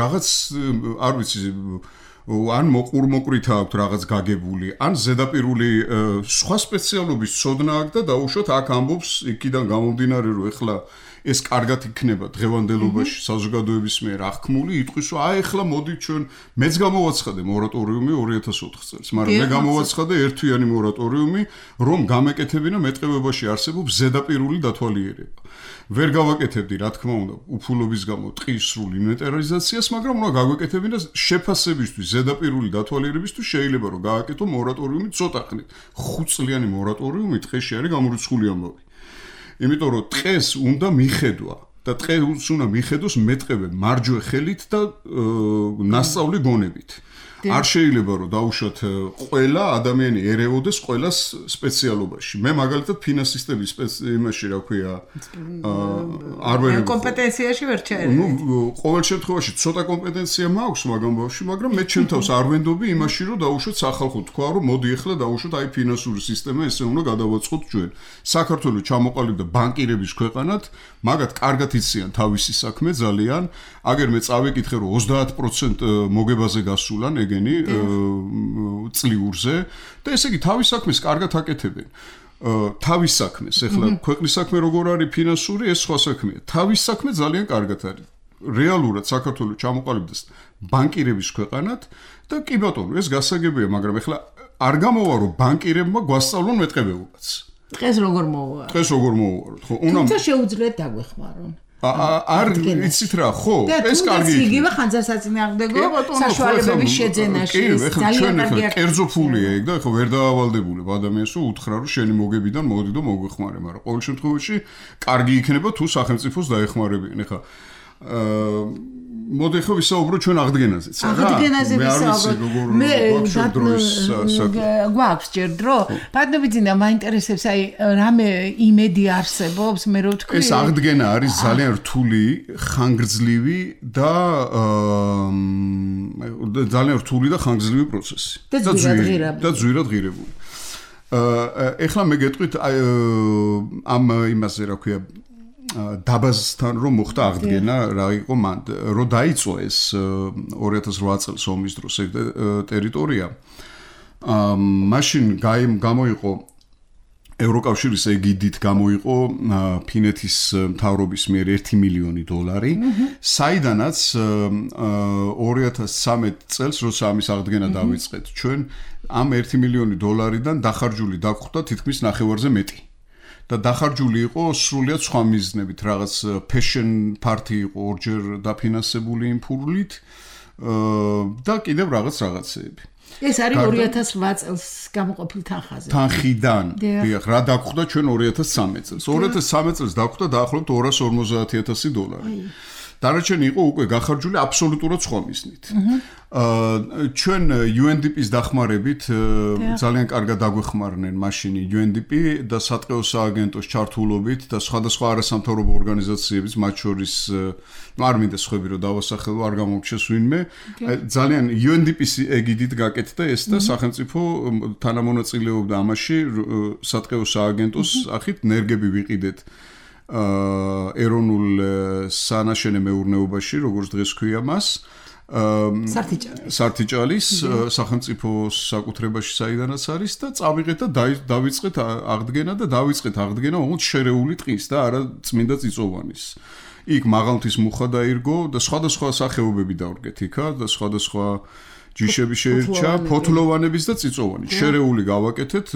Speaker 3: რაღაც არ ვიცი ან მოყურმოყრით აქვს რაღაც გაგებული, ან ზედაპირული სხვა სპეციალობის ცოდნა აქვს და დაუშვათ აქ ამბობს იქიდან გამომდინარე რომ ეხლა ეს კარგად იქნება დღევანდელობაში საზოგადოების მიერ აღქმული, იტყვის რომ აი ეხლა მოდით ჩვენ მეც გამოვაცხადე მორატორიუმი ორი ათას ოთხ წელს, მაგრამ მე გამოვაცხადე ერთთვიანი მორატორიუმი, რომ გამეკეთებინა მეტყევებაში არსებობს ზედაპირული დათვალიერება. ვერ გავაკეთებდი, რა თქმა უნდა, უფულობის გამო ტყის სრულ ინვენტარიზაციას, მაგრამ უნდა გავაკეთებინა შეფასებისთვის, ზედაპირული დათვალიერებისთვის შეიძლება რომ გააკეთო მორატორიუმი ცოტა ხნით. ხუთწლიანი მორატორიუმი ტყეში არის გამორიცხული ამბავი. იმიტომ რომ ტყეს უნდა მიხედვა და ტყეს უნდა მიხედოს მეტყევე მარჯვე ხელით და ნასწავლი გონებით. არ შეიძლება რომ დაუშვათ ყველა ადამიანი ერეოდეს ყველას სპეციალობაში. მე მაგალითად ფინანსისტების იმაში რა ქვია არ ვერ
Speaker 2: კომპეტენციაში ვერ ჩაერევ.
Speaker 3: ნუ ყოველ შემთხვევაში ცოტა კომპეტენცია მაქვს მაგამ ბავშვი, მაგრამ მე ჩემ თავს არ ვენდობი იმაში რომ დაუშვათ სახალხო თქვა რომ მოდი ახლა დაუშვათ აი ფინანსური სისტემა ესე უნდა გადავაწყოთ ჩვენ. საქართველოს ჩამოყალიბდა ბანკირების ქვეყანად, მაგათ კარგად იციან თავისი საქმე ძალიან. აგერ მე წავიკითხე რომ ოცდაათ პროცენტი მოგებაზე გასულან ეგენი წლიურზე და ესე იგი თავის საქმეს კარგად აკეთებენ. თავის საქმეს, ეხლა ქვეყნის საქმე როგორ არის ფინანსური, ეს სხვა საქმეა. თავის საქმე ძალიან კარგად არის. რეალურად საქართველოს ჩამოყალიბდეს ბანკირების ქვეყანად და კი ბატონო, ეს გასაგებია, მაგრამ ეხლა არ გამოვა რომ ბანკირებმა გვასწავლონ მეტყევეობაც.
Speaker 2: დღეს როგორ მოვა?
Speaker 3: დღეს როგორ მოვუაროთ, ხო?
Speaker 2: უნდა თუმცა შეუძლიათ დაგვეხმარონ.
Speaker 3: არ იცით რა, ხო, ეს კარგი იქნება.
Speaker 2: იგივე ხანძარსაწინააღმდეგო საშუალებების შეძენაში
Speaker 3: ძალიან კარგია. კერძო ფულია ეგ და ხო ვერ დაავალდებულებ ადამიანს რომ უთხრა რომ შენი მოგებიდან მოდი და მოგვეხმარე, მაგრამ ყოველ შემთხვევაში კარგი იქნება თუ სახელმწიფოს დაეხმარებიან. ეხლა მოდი ხო ვისაუბრო ჩვენ აღდგენაზეც რა.
Speaker 2: აღდგენაზე ვისაუბრო. მე გვაქვს ჯერ დრო. ბატონებიძინა მაინტერესებს აი რამე იმედი არსებობს მე რო ვთქვი.
Speaker 3: ეს აღდგენა არის ძალიან რთული, ხანგრძლივი და ძალიან რთული და ხანგრძლივი პროცესი.
Speaker 2: და ძვირად
Speaker 3: და ძვირად ღირებული. ეხლა მე გეტყვით ამ იმაზე რა ქვია დაბაზთან რომ მოხდა აღდგენა რა იყო მან რო დაიწყო ეს ორი ათას ოთხ წელს ომის დროს ეს ტერიტორია მაშინ გამოიყო ევროკავშირის ეგიდით გამოიყო ფინეთის მთავრობის მიერ ერთი მილიონი დოლარი საიდანაც ორი ათას ცხრამეტ წელს როცა ამის აღდგენა დავიწყეთ ჩვენ ამ ერთი მილიონი დოლარიდან დახარჯული დაგხვდა თითქმის ნახევარზე მეტი და დახარჯული იყო სრულიად სხვა მიზნებით, რაღაც fashion party იყო ორჯერ დაფინანსებული იმ ფულით და კიდევ რაღაც რაღაცეები.
Speaker 2: ეს არის ორი ათას ოთხ წელს გამოყოფილ თანხაზე.
Speaker 3: თანხიდან. დიახ, რა დაგხვდა ჩვენ ორი ათას ცხრამეტ წელს. ორი ათას ცხრამეტ წელს დაგხვდა დაახლოებით ორას ორმოცდაათი ათასი დოლარი. დანარჩენი იყო უკვე გახარჯული აბსოლუტურად სხვა მიზნით. აა ჩვენ იუ ენ დი პის დახმარებით ძალიან კარგად დაგვეხმარნენ მაშინ იუ ენ დი პი და სატყეო სააგენტოს ჩართულობით და სხვადასხვა არასამთავრობო ორგანიზაციების მათ შორის არ მინდა სხვები რომ დავასახელო არ გამომჩეს ვინმე ძალიან იუ ენ დი პის ეგიდით გაკეთდა ეს და სახელმწიფო თანამონაწილეობდა ამაში სატყეო სააგენტოს ახით ნერგები ვიყიდეთ ეროვნულ სანაშენე მეურნეობაში, როგორც დღეს ქვია მას, სართიჭალის სახელმწიფო საკუთრებაში საიდანაც არის და წავიღეთ და დავიწყეთ აღდგენა და დავიწყეთ აღდგენა ოღონდ შერეული ტყის და არა წმინდა წიწოვანის. იქ მაღალმთის მუხა დაირგო და სხვადასხვა სახეობები დავრგეთ იქა და სხვადასხვა ჯიშები შეირჩა, ფოთლოვანების და წიწოვანი. შერეული გავაკეთეთ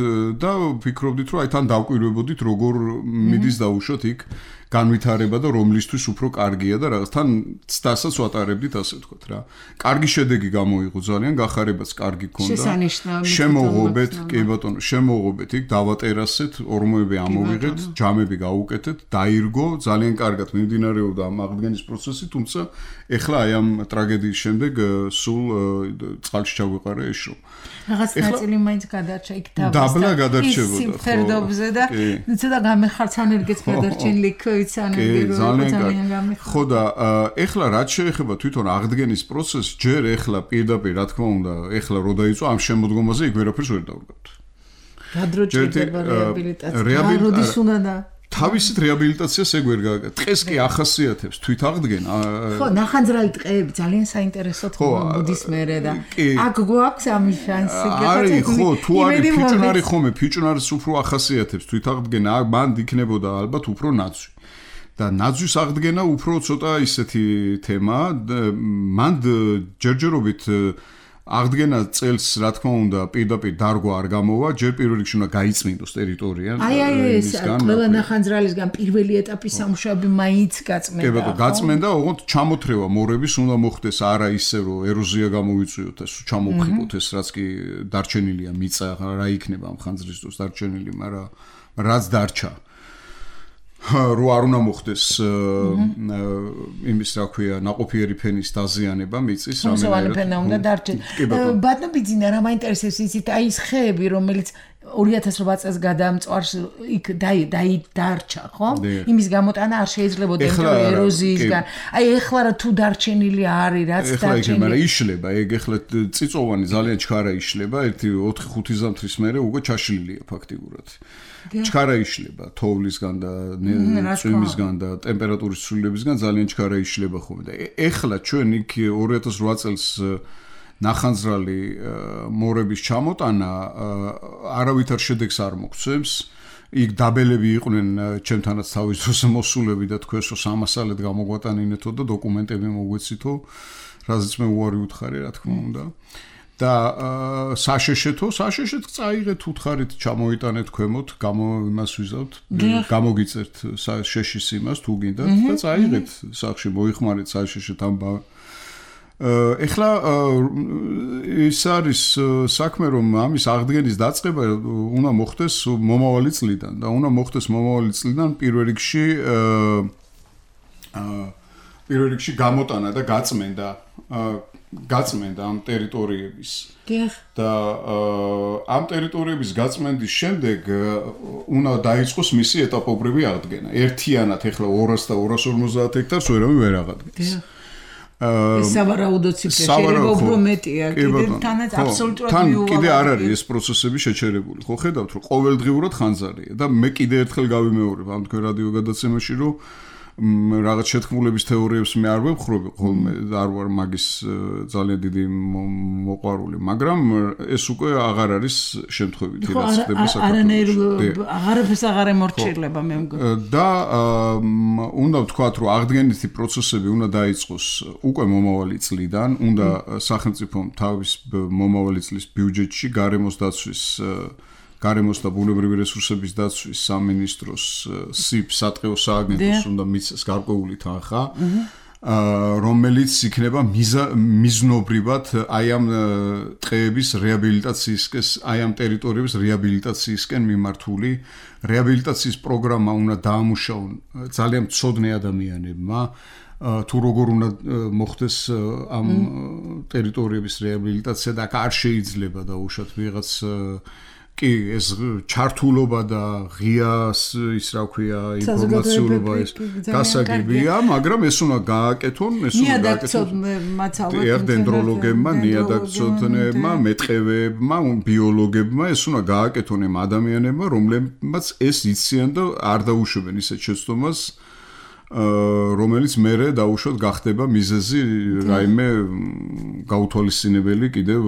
Speaker 3: და ვფიქრობდით, რომ აი თან დავკვირვებოდით, როგორ მიდის დაუშვათ იქ განვითარება და რომლისთვის უფრო კარგია და რაღაც თან ცდასაც ვატარებდით, ასე ვთქვათ რა. კარგი შედეგი გამოიღო ძალიან, გახარებაც კარგი ქონდა. შემოღობეთ, კი ბატონო, შემოღობეთ იქ დავატერასეთ, ორმოები ამოვიღეთ, ჯამები გავუკეთეთ, დაირგო, ძალიან კარგად მიმდინარეობდა ამ აღდგენის პროცესი, თუმცა ეხლა აი ამ ტრაგედიის შემდეგ სულ წყალში ჩაგვიყარა ეშო.
Speaker 2: რაღაც ნაწილი მაინც გადარჩა იქ
Speaker 3: დაბლა გადარჩებოდა.
Speaker 2: სიმფერდობზე და ცოტა გამეხარცანერგეც გადარჩენილი
Speaker 3: ხო და ეხლა რაც შეეხება თვითონ აღდგენის პროცესს, ჯერ ეხლა პირდაპირ რა თქმა უნდა, ეხლა რო დაიწყო ამ შემოდგომაზე იქ ვერაფერს ვერ დავდგათ.
Speaker 2: რა დრო ჭირდება რეაბილიტაცია? როდის უნდა და
Speaker 3: თავისით რეაბილიტაციას ეგ ვერ გაგა. დღეს კი ახასიათებს თვით აღდგენა.
Speaker 2: ხო, ნახანძრალი ტყეები ძალიან საინტერესოა მოდის მერე და აქ გვაქვს ამის შანსი.
Speaker 3: არის ხო, თუ არის ფიჭვნარი ხომე, ფიჭვნარის უფრო ახასიათებს თვით აღდგენა, მან იქნებოდა ალბათ უფრო ნაძვი. და ნაძვის აღდგენა უფრო ცოტა ისეთი თემა, მან ჯერჯერობით აღდგენა წელს რა თქმა უნდა პირდაპირ დარგვა არ გამოვა, ჯერ პირველ რიგში უნდა გაიწმინდოს ტერიტორია.
Speaker 2: აი აი ეს ყველა ნახანძრალისგან პირველი ეტაპის სამუშაოები მაინც გაწმენდა.
Speaker 3: კი ბატონო, გაწმენდა, ოღონდ ჩამოთრევა მორების უნდა მოხდეს, არა ისე რომ ეროზია გამოვიწვიოთ, ეს ჩამოვხიბოთ ეს რაც კი დარჩენილია მიწა, რა იქნება ამ ხანძრის დროს დარჩენილი, მაგრამ რაც დარჩა რო არ უნდა მოხდეს იმის რა ქვია ნაყოფიერი ფენის დაზიანება მიწის
Speaker 2: რამენერად ფენა უნდა დარჩეს. ბატონბიძინა რა მაინტერესებს იცით აი ეს ხეები რომელიც ორი ათას ოთხ წელს გადამწვარს იქ დაი დაი დარჩა ხო? იმის გამოტანა არ შეიძლება ეროზიისგან. აი ეხლა რა თუ დარჩენილი არის რაც
Speaker 3: ეხლა
Speaker 2: დარჩენილი.
Speaker 3: მაგრამ იშლება ეგ ეხლა წიწოვანი ძალიან ჩქარა იშლება ერთი ოთხი ხუთი ზამთრის მერე უკვე ჩაშლილია ფაქტიურად. ჩქარა იშლება თოვლისგან და წვიმისგან და ტემპერატურის ცვლილებისგან ძალიან ჩქარა იშლება ხოლმე და ეხლა ჩვენ იქ ორი ათას ოთხ წელს ნახანძრალი მორების ჩამოტანა არავითარ შედეგს არ მოგცემს. იქ დაბელები იყვნენ ჩემთანაც თავის დროს მოსულები და თქვენს რომ სამასალეთ გამოგვატანინეთო და დოკუმენტები მოგვეცითო, რაზეც მე უარი ვუთხარი რა თქმა უნდა. და საშეშეთო, საშეშეთ წაიღეთ უთხარით ჩამოიტანეთ ქვემოთ, გამო იმას ვიზავთ, გამოგიწერთ შეშის იმას თუ გინდათ და წაიღეთ სახში მოიხმარეთ საშეშეთ ამ ეხლა ის არის საქმე რომ ამის აღდგენის დაწყება უნდა მოხდეს მომავალი წლიდან და უნდა მოხდეს მომავალი წლიდან პირველ რიგში პირველ რიგში გამოტანა და გაწმენდა გაწმენდა ამ ტერიტორიების და ამ ტერიტორიების გაწმენდის შემდეგ უნდა დაიწყოს მისი ეტაპობრივი აღდგენა. ერთიანად ეხლა ორას და ორას ორმოცდაათ ჰექტარს ვერავინ ვერ აღადგენს.
Speaker 2: ეს სავარაუდო ციფრა შეიძლება უფრო მეტია, კიდე თანაც აბსოლუტურად მიუვალ.
Speaker 3: თან კიდე არ არის ეს პროცესები შეჩერებული. ხო ხედავთ რომ ყოველდღიურად ხანძარია და მე კიდე ერთხელ გავიმეორებ ამ თქვენ რადიო გადაცემაში რომ რაღაც შეთქმულების თეორიებს მე არ ვებხრობ ხოლმე არ ვარ მაგის ძალიან დიდი მოყვარული, მაგრამ ეს უკვე აღარ არის შემთხვევითი რაც ხდება საქართველოში.
Speaker 2: არანაირ აღარაფერს აღარ ემორჩილება მე მგონი.
Speaker 3: და უნდა ვთქვათ, რომ აღდგენითი პროცესები უნდა დაიწყოს უკვე მომავალი წლიდან, უნდა სახელმწიფომ თავის მომავალი წლის ბიუჯეტში გარემოს დაცვის გარემოს და ბუნებრივი რესურსების დაცვის სამინისტროს სიპ სატყეო სააგენტოს უნდა მიცეს გარკვეული თანხა, რომელიც იქნება მიზნობრივად აი ამ ტყეების რეაბილიტაციისკენ, აი ამ ტერიტორიების რეაბილიტაციისკენ მიმართული რეაბილიტაციის პროგრამა უნდა დაამუშავონ ძალიან მცოდნე ადამიანებმა თუ როგორ უნდა მოხდეს ამ ტერიტორიების რეაბილიტაცია და არ შეიძლება დაუშვათ ვიღაც კი ეს ჩართულობა და ღია ის რა ქვია ინფორმაციულობა ეს გასაგებია, მაგრამ ეს უნდა გააკეთონ, ეს უნდა
Speaker 2: გააკეთონ მაცალბად
Speaker 3: დენდროლოგებმა, ნიადაგცოდნებმა, მეტყევეებმა, ბიოლოგებმა, ეს უნდა გააკეთონ ამ ადამიანებმა, რომლებმაც ეს იციან და არ დაუშვებენ ისეთ შეცდომას, რომელიც მერე დაუშვათ გახდება მიზეზი რაიმე გაუთვალისწინებელი კიდევ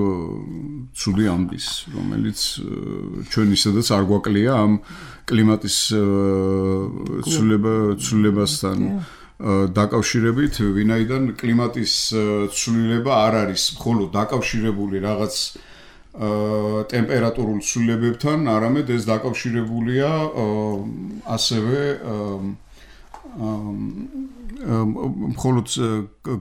Speaker 3: ცუდი ამბის, რომელიც ჩვენ ისედაც არ გვაკლია ამ კლიმატის ცვლილებასთან დაკავშირებით, ვინაიდან კლიმატის ცვლილება არ არის მხოლოდ დაკავშირებული რაღაც ტემპერატურულ ცვლილებებთან, არამედ ეს დაკავშირებულია ასევე მხოლოდ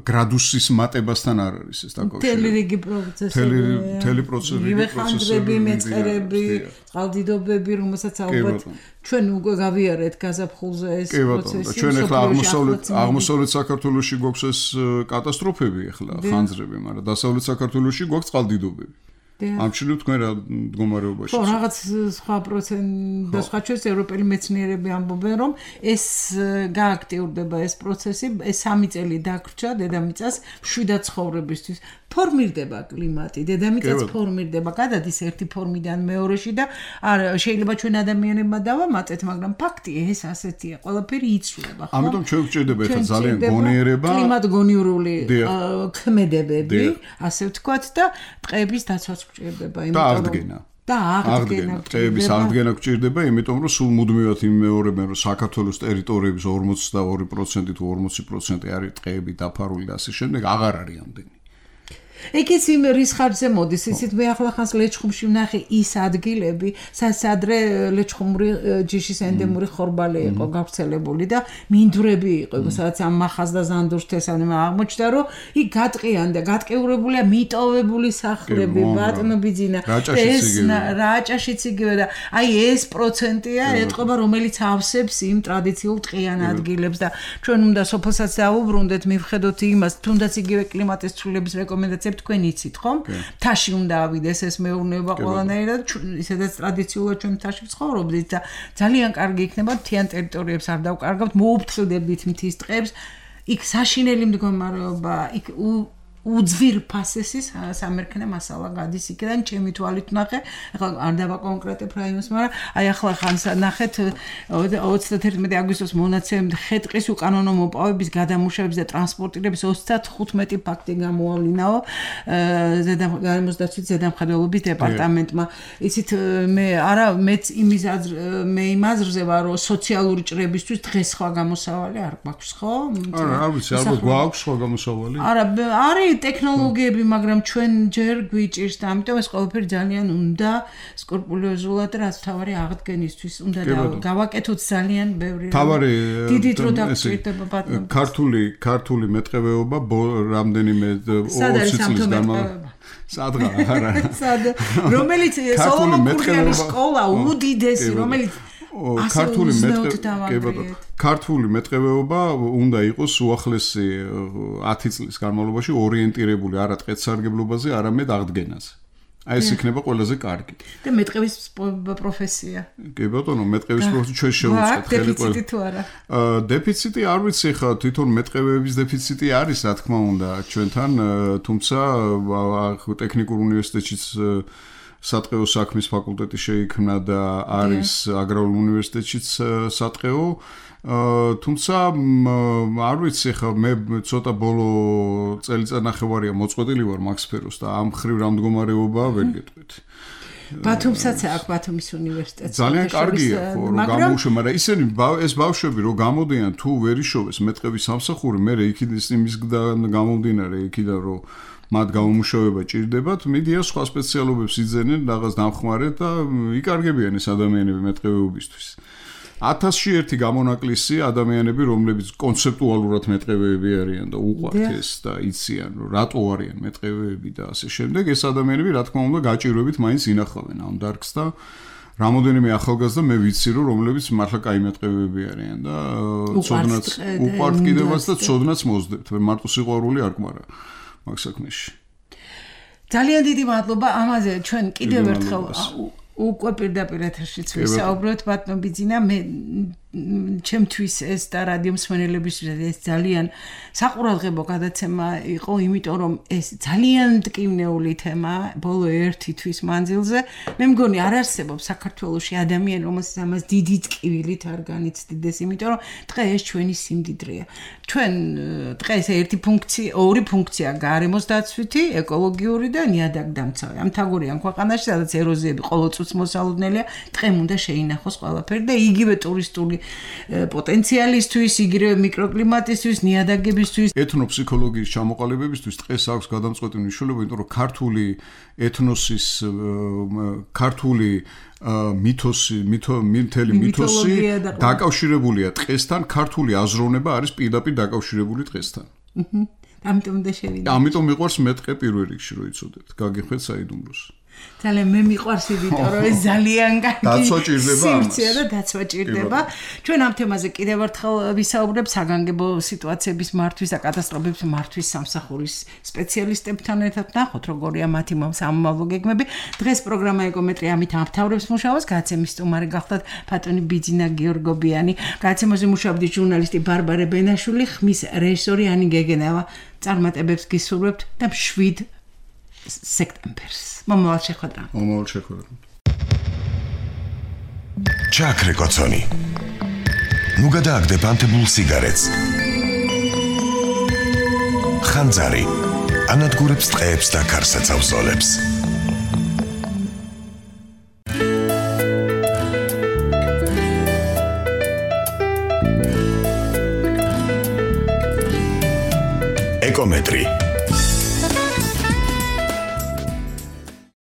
Speaker 3: გრადუსის მატებასთან არ არის ეს დაკავშირებული.
Speaker 2: მთელი რიგი პროცესები,
Speaker 3: მთელი პროცესები,
Speaker 2: მეწერები, მეწყერები, წყალდიდობები, რომელსაც ალბათ ჩვენ უკვე გავიარეთ გაზაფხულზე ეს პროცესი.
Speaker 3: ჩვენ ახლა აღმოსავლეთ აღმოსავლეთ საქართველოში გვაქვს ეს კატასტროფები ახლა ხანძრები, მაგრამ დასავლეთ საქართველოში გვაქვს წყალდიდობები. ამჩნევ თქვენ რა მდგომარეობაში.
Speaker 2: ხო, რაღაც სხვა პროცენტი და სხვა ჩვენს ევროპელი მეცნიერები ამბობენ, რომ ეს გააქტიურდება ეს პროცესი, ეს სამი წელი დაგრჩა დედამიწას მშვიდად ცხოვრებისთვის. ფორმირდება კლიმატი, დედამიწაც ფორმირდება, გადადის ერთი ფორმიდან მეორეში და არ შეიძლება ჩვენ ადამიანებმა დავამატეთ, მაგრამ ფაქტია ეს ასეთია, ყველაფერი იცვლება, ხო?
Speaker 3: ამიტომ ჩვენ გვჭირდება ახლა ძალიან გონიერება,
Speaker 2: კლიმატგონიურული ქმედებები, ასე ვთქვათ და ტყეების დაცვაც გვჭირდება,
Speaker 3: იმიტომ რომ და აღდგენა.
Speaker 2: და აღდგენა,
Speaker 3: ტყეების აღდგენა გვჭირდება, იმიტომ რომ სულ მუდმივად იმეორებენ, რომ საქართველოს ტერიტორიების ორმოცდაორი პროცენტი თუ ორმოცი პროცენტი არის ტყეები დაფარული და ასე შემდეგ, აღარ არის ამდენი.
Speaker 2: ეგეც იმ რის ხარჯზე მოდის, ისიც მე ახლა ხანს ლეჩხუმში ვნახე ის ადგილები, სადაც ლეჩხუმური ჯიშის ენდემური ხორბალი იყო გავრცელებული და მინდვრები იყო, სადაც ამ მახას და ზანდურს თესავენ, აღმოჩნდა რომ იქ გატყიან და გატყეურებულია მიტოვებული სახლები, ბატონობიძინა, ეს რაჭაშიც იგივე და აი ეს პროცენტია ეტყობა, რომელიც ავსებს იმ ტრადიციულ ტყიან ადგილებს და ჩვენ უნდა სოფელსაც დავუბრუნდეთ, მივხედოთ იმას, თუნდაც იგივე კლიმატის ცვლილების რეკომენდაციები თქვენ იცით, ხომ? მთაში უნდა ავიდეს ეს მეურნეობა ყველანაირად, ისედაც ტრადიციულად ჩვენ მთაში ვცხოვრობდით და ძალიან კარგი იქნება მთიან ტერიტორიებს არ დავკარგავთ, მოუფრთხილდებით მთის ტყეებს, იქ საშინელი მდგომარეობა, იქ უძვირფასესი სამერქნე მასალა გადის იქიდან, ჩემი თვალით ვნახე, ახლა არ დავაკონკრეტებ რაიონს, მაგრამ აი ახლა ხანს ნახეთ ოცდათერთმეტი აგვისტოს მონაცემ ხეტყის უკანონო მოპოვების, გადამუშავების და ტრანსპორტირების ოცდახუთმეტი ფაქტი გამოავლინაო გარემოს დაცვის ზედამხედველობის დეპარტამენტმა. იცით მე არა მეც იმის მე იმ აზრზე ვარ, რომ სოციალური ჭრებისთვის დღეს სხვა გამოსავალი არ გვაქვს, ხო?
Speaker 3: არა, არ ვიცი, ალბათ გვაქვს სხვა გამოსავალი.
Speaker 2: არა, არის ტექნოლოგიები, მაგრამ ჩვენ ჯერ გვიჭირს და ამიტომ ეს ყველაფერი ძალიან უნდა სკრუპულოზულად რაც თავარი აღდგენისთვის უნდა გავაკეთოთ ძალიან ბევრი დიდი დრო დაგჭირდება ბატონო.
Speaker 3: ქართული ქართული მეტყევეობა რამდენიმე ოცი წლის განმავლობაში სადღა არა
Speaker 2: სად რომელიც სოლომონ კურიანის სკოლა უდიდესი, რომელიც
Speaker 3: ქართული მეტყევეობა ქართული მეტყევეობა უნდა იყოს უახლესი ათი წლის განმავლობაში ორიენტირებული არა ტყეთსარგებლობაზე, არამედ აღდგენაზე. აი ეს იქნება ყველაზე კარგი.
Speaker 2: და მეტყევის პროფესია.
Speaker 3: კი ბატონო, მეტყევის პროფესია ჩვენ შევუწყეთ
Speaker 2: ხელი ყველა. დეფიციტი თუ არა?
Speaker 3: აა დეფიციტი არ ვიცი ხა, თვითონ მეტყევეების დეფიციტი არის, რა თქმა უნდა, ჩვენთან, თუმცა ტექნიკურ უნივერსიტეტშიც სატყეო საქმის ფაკულტეტი შეიქმნა და არის აგრარულ უნივერსიტეტშიც სატყეო. თუმცა არ ვიცი ხა, მე ცოტა ბოლო წელიწადნახევარია მოწყვეტილი ვარ მაგ სფეროს და ამ ხრივ რა მდგომარეობაა ვერ გეტყვით.
Speaker 2: ბათუმსაც აქვს ბათუმის უნივერსიტეტი.
Speaker 3: ძალიან კარგია ხო, რომ გამოუშვა, მაგრამ ისინი ეს ბავშვები რომ გამოდიან თუ ვერ იშოვეს მეტყევის სამსახური, მე იქიდან იმისგან გამომდინარე იქიდან რომ მათ გამომუშავება ჭირდებათ, მიდიან სხვა სპეციალობებს იძენენ რაღაც დამხმარედ და იკარგებიან ეს ადამიანები მეტყევეობისთვის. ათასში ერთი გამონაკლისი ადამიანები, რომლებიც კონცეპტუალურად მეტყევეები არიან და უყვართ ეს და იციან, რომ რატო არიან მეტყევეები და ასე შემდეგ, ეს ადამიანები, რა თქმა უნდა, გაჭირვებით მაინც ინახავენ ამ დარგს და რამოდენიმე ახალგაზრდა მე ვიცი, რომ რომლებიც მართლა კაი მეტყევეები არიან და ცოდნაც უყვართ კიდევაც და ცოდნაც მოძდებთ, მარტო სიყვარული არ გმარა მაგ საქმეში.
Speaker 2: ძალიან დიდი მადლობა ამაზე ჩვენ კიდევ ერთხელ უკვე პირდაპირ ეთერშიც ვისაუბროთ ბატონო ბიძინა მე ჩემთვის ეს და რადიო მსმენელებისთვის ეს ძალიან საყურადღებო გადაცემა იყო იმიტომ რომ ეს ძალიან მტკივნეული თემა ბოლო ერთი თვის მანძილზე მე მგონი არ არსებობს საქართველოში ადამიანი რომელსაც ამას დიდი ტკივილით არ განიცდიდეს იმიტომ რომ დღე ეს ჩვენი სიმდიდრეა ჩვენ დღე ეს ერთი ფუნქცია ორი ფუნქცია გარემოს დაცვითი ეკოლოგიური და ნიადაგდამცავი ამ თაგორიან ქვეყანაში სადაც ეროზიები ყოველწუთს მოსალოდნელია დღემ უნდა შეინახოს ყველაფერი და იგივე ტურისტული პოტენციალისთვის, იგივე მიკროკლიმატისთვის, ნიადაგებისთვის,
Speaker 3: ეთნოფსიქოლოგიის ჩამოყალიბებისთვის დღეს აქვს გადამწყვეტი მნიშვნელობა, იმიტომ რომ ქართული ეთნოსის, ქართული მითოსი, მთელი მითოსი დაკავშირებულია დღესთან, ქართული აზროვნება არის პირდაპირ დაკავშირებული დღესთან.
Speaker 2: აჰა. ამიტომ და შევიდა.
Speaker 3: ამიტომ მიყვარს მეტყე პირველ რიგში რო იცოდეთ, გაგიხვეთ საიდუმლოს.
Speaker 2: ძალიან მე მიყვარს იმიტომ რომ ეს ძალიან კარგი
Speaker 3: დაცვა ჭირდება
Speaker 2: სივრცეა და დაცვა ჭირდება ჩვენ ამ თემაზე კიდევ ერთხელ ვისაუბრებთ საგანგებო სიტუაციების მართვის და კატასტროფების მართვის სამსახურის სპეციალისტებთან ერთად ნახოთ როგორია მათი სამომავლო გეგმები დღეს პროგრამა ეკომეტრი ამით ამთავრებს მუშაობას გადაცემის სტუმარი გახლდათ ბატონი ბიძინა გიორგობიანი გადაცემაზე მუშაობდი ჟურნალისტი ბარბარე ბენაშვილი ხმის რეჟისორი ანი გეგენევა წარმატებებს გისურვებთ და შვიდ სექტემბერს. მომავალ შეხვედრა.
Speaker 3: მომავალ შეხვედრა.
Speaker 4: ჩაქრე კოცონი. ნუ გადააგდებ ანთებულ სიგარეტს. ხანძარი. ანადგურებს ტყეებს და ქარსაცავ-ზოლებს. ეკომეტრი